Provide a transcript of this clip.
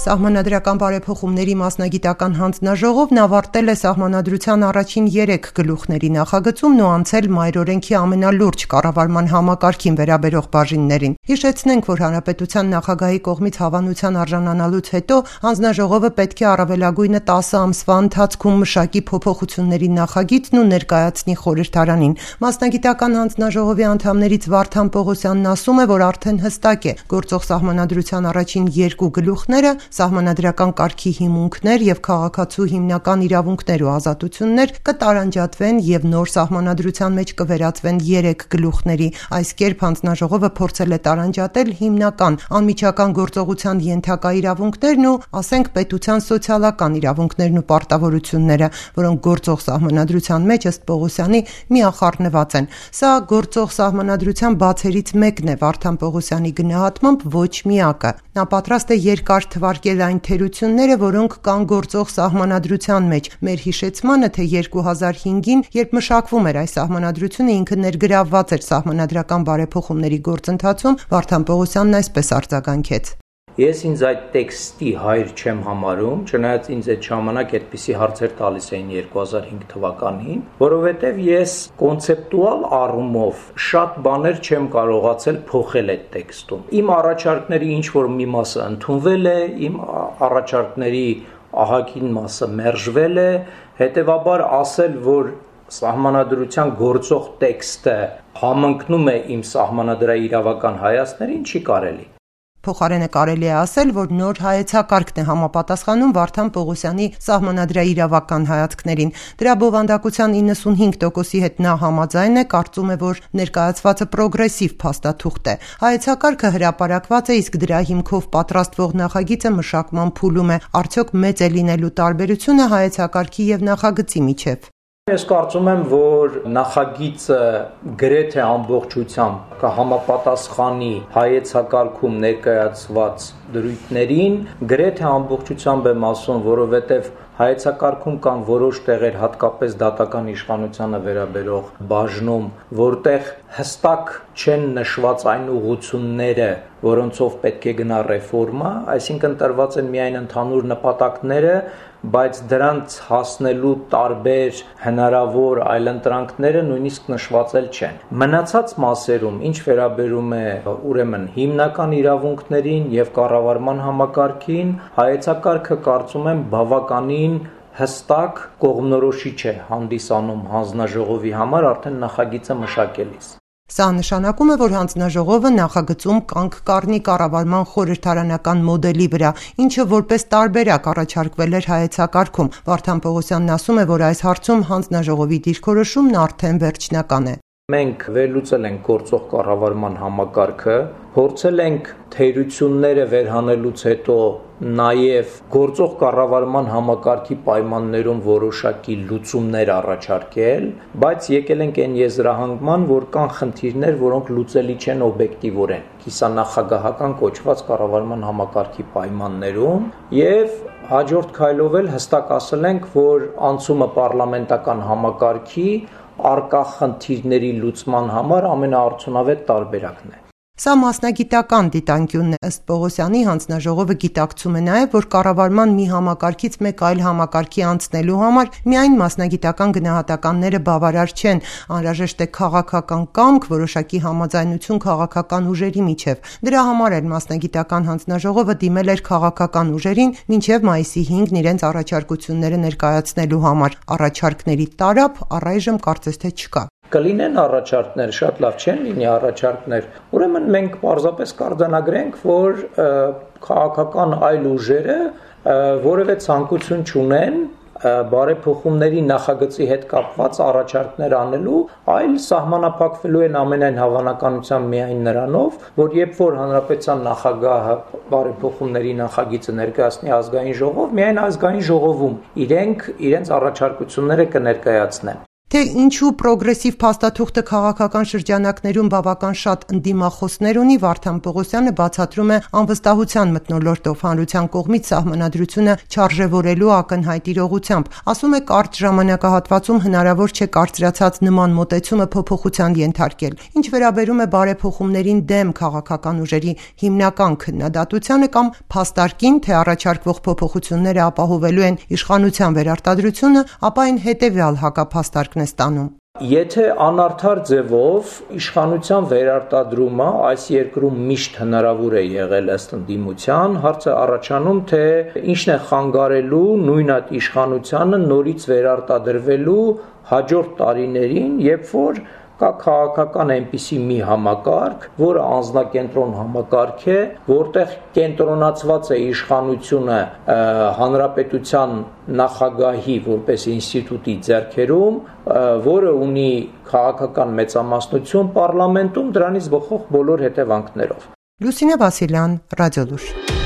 Սահմանադրական բարեփոխումների մասնագիտական հանձնաժողովն ավարտել է Սահմանադրության առաջին 3 գլուխների նախագծումն ու անցել մայրօրենքի ամենալուրջ կառավարման համակարգին վերաբերող բաժիններին։ Հիշեցնենք, որ Հանրապետության նախագահի կողմից հավանության արժանանալուց հետո հանձնաժողովը պետք է առավելագույնը 10 ամսվա ընթացքում մշակի փոփոխությունների նախագիծն ու ներկայացնի խորհրդարանին։ Մասնագիտական հանձնաժողովի անդամներից Վարդան Պողոսյանն ասում է, որ արդեն հստակ է գործող Սահմանադրության առաջին 2 գլուխները սահմանադրական կարգի հիմունքներ եւ քաղաքացու հիմնական իրավունքներ ու ազատություններ կտարանջատվեն եւ նոր սահմանադրության մեջ կվերածվեն 3 գլուխների։ Այս կերպ հանձնաժողովը փորձել է տարանջատել հիմնական անմիջական գործողության ենթակա իրավունքներն ու, ասենք, պետության սոցիալական իրավունքներն ու պարտավորությունները, որոնք գործող սահմանադրության մեջ ըստ Պողոսյանի միախառնված են։ Սա գործող սահմանադրության բացերից մեկն է Վարդան Պողոսյանի գնահատմամբ ոչ միակը։ Նա պատրաստ է երկար թվարկել այն թերությունները, որոնք կան գործող սահմանադրության մեջ։ Մեր հիշեցմանը, թե 2005-ին, երբ մշակվում էր այս սահմանադրությունը, ինքը ներգրավված էր սահմանադրական բարեփոխումների գործընթացում, Վարդան Պողոսյանն այսպես արձագանքեց. Ես ինձ այդ տեքստի հայր չեմ համարում, չնայած ինձ այդ ժամանակ այդպիսի հարցեր տալիս էին 2005 թվականին, որովհետև ես կոնցեպտուալ առումով շատ բաներ չեմ կարողացել փոխել այդ տեքստում։ Իմ առաջարկների ինչ-որ մի մասը ընդունվել է, իմ առաջարկների ահագին մասը մերժվել է, հետևաբար ասել, որ սահմանադրության գործող տեքստը համընկնում է իմ սահմանադրաիրավական հայացքներին, չի կարելի։ Փոխարենը կարելի է ասել, որ նոր հայեցակարգն է համապատասխանում Վարդան Պողոսյանի սահմանադրաիրավական հայացքներին։ Դրա բովանդակության 95%-ի հետ նա համաձայն է, կարծում է, որ ներկայացվածը պրոգրեսիվ փաստաթուղթ է։ Հայեցակարգը հրապարակված է, իսկ դրա հիմքով պատրաստվող նախագիծը մշակման փուլում է։ Արդյոք մեծ է լինելու տարբերությունը հայեցակարգի եւ նախագծի միջև։ Ես կարծում եմ, որ նախագիծը գրեթե ամբողջությամբ կհամապատասխանի հայեցակարգում ներկայացված դրույթներին, գրեթե ամբողջությամբ եմ ասում, որովհետև հայեցակարգում կան որոշ տեղեր, հատկապես դատական իշխանությանը վերաբերող բաժնում, որտեղ հստակ չեն նշված այն ուղղությունները, որոնցով պետք է գնա ռեֆորմա, այսինքն տրված են միայն ընդհանուր նպատակները, բայց դրանց հասնելու տարբեր հնարավոր այլընտրանքները նույնիսկ նշված չեն։ Մնացած մասերում, ինչ վերաբերում է ուրեմն հիմնական իրավունքներին եւ կառավարման համակարգին, հայեցակարգը կարծում եմ բավականին հստակ կողմնորոշիչ է հանդիսանում հանձնաժողովի համար արդեն նախագիծը մշակելիս։ Սա նշանակում է, որ հանձնաժողովը նախագծում կանգ կառնի կառավարման խորհրդարանական մոդելի վրա, ինչը որպես տարբերակ առաջարկվել էր հայեցակարգում։ Վարդան Պողոսյանն ասում է, որ այս հարցում հանձնաժողովի դիրքորոշումն արդեն վերջնական է։ Մենք վերլուծել ենք գործող կառավարման համակարգը, փորձել ենք թերությունները վերհանելուց հետո նաև գործող կառավարման համակարգի պայմաններում որոշակի լուծումներ առաջարկել, բայց եկել ենք այն եզրահանգման, որ կան խնդիրներ, որոնք լուծելի չեն օբյեկտիվորեն, կիսանախագահական կոչված կառավարման համակարգի պայմաններում, եւ հաջորդ քայլով էլ հստակ ասել ենք, որ անցումը պարլամենտական համակարգի արկա խնդիրների լուծման համար ամենաարդյունավետ տարբերակն է։ Սա մասնագիտական դիտանկյունն է, ըստ Պողոսյանի հանձնաժողովը գիտակցում է նաև, որ կառավարման մի համակարգից մեկ այլ համակարգի անցնելու համար միայն մասնագիտական գնահատականները բավարար չեն, անհրաժեշտ է քաղաքական կամք, որոշակի համաձայնություն քաղաքական ուժերի միջև։ Դրա համար էլ մասնագիտական հանձնաժողովը դիմել էր քաղաքական ուժերին մինչև մայիսի 5-ն իրենց առաջարկությունները ներկայացնելու համար։ Առաջարկների տարափ առայժմ կարծես թե չկա։ Կլինեն առաջարկներ, շատ լավ չեն լինի առաջարկներ, ուրեմն մենք պարզապես կարձանագրենք, որ քաղաքական այլ ուժերը որևէ ցանկություն չունեն բարեփոխումների նախագծի հետ կապված առաջարկներ անելու, այլ սահմանափակվելու են ամենայն հավանականությամբ միայն նրանով, որ երբ որ հանրապետության նախագահը բարեփոխումների նախագիծը ներկայացնի ազգային ժողով, միայն ազգային ժողովում իրենք իրենց առաջարկությունները կներկայացնեն։ Թե ինչու պրոգրեսիվ փաստաթուղթը քաղաքական շրջանակներում բավական շատ ընդդիմախոսներ ունի, Վարդան Պողոսյանը բացատրում է անվստահության մթնոլորտով հանրության կողմից սահմանադրությունը չարժևորելու ակնհայտ իրողությամբ։ Ասում է, կարճ ժամանակահատվածում հնարավոր չէ կարծրացած նման մոտեցումը փոփոխության ենթարկել։ Ինչ վերաբերում է բարեփոխումներին դեմ քաղաքական ուժերի հիմնական քննադատությանը կամ փաստարկին, թե առաջարկվող փոփոխությունները ապահովելու են իշխանության վերարտադրությունը, ապա այն հետևյալ հակափաստարկն է ստանում։ Եթե անարդար ձևով իշխանության վերարտադրումը այս երկրում միշտ հնարավոր է եղել ըստ ընդդիմության, հարցը առաջանում, թե ինչն է խանգարելու նույն այդ իշխանությանը նորից վերարտադրվելու հաջորդ տարիներին, երբ որ կա քաղաքական այնպիսի մի համակարգ, որը անձնակենտրոն համակարգ է, որտեղ կենտրոնացված է իշխանությունը հանրապետության նախագահի որպես ինստիտուտի ձեռքերում, որը ունի քաղաքական մեծամասնություն պարլամենտում, դրանից բխող բոլոր հետևանքներով։ Լուսինե Վասիլյան, Ռադիոլուր։